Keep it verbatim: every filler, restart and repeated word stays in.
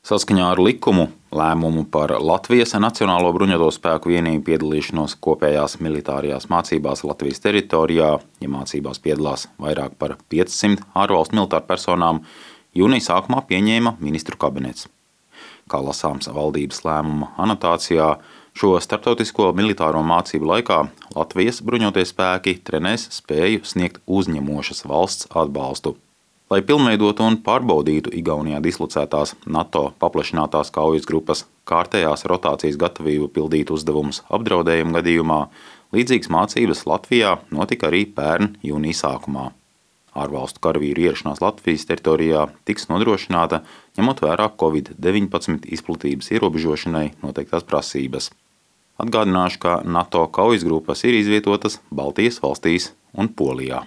Saskaņā ar likumu lēmumu par Latvijas Nacionālo bruņoto spēku vienību piedalīšanos kopējās militārajās mācībās Latvijas teritorijā, ja mācībās piedalās vairāk par piecsimt ārvalstu militāru personām, jūnija sākumā pieņēma ministru kabinets. Kā lasāms valdības lēmuma anotācijā, šo starptautisko militāro mācību laikā Latvijas bruņotie spēki trenēs spēju sniegt uzņemošas valsts atbalstu. Lai pilnveidotu un pārbaudītu Igaunijā dislocētās NATO paplašinātās kaujas grupas kārtējās rotācijas gatavību pildīt uzdevumus apdraudējuma gadījumā, līdzīgas mācības Latvijā notika arī pērn jūnija sākumā. Ārvalstu karavīru ierašanās Latvijas teritorijā tiks nodrošināta, ņemot vērā covid deviņpadsmit izplatības ierobežošanai noteiktās prasības. Atgādināšu, ka NATO kaujas grupas ir izvietotas Baltijas valstīs un Polijā.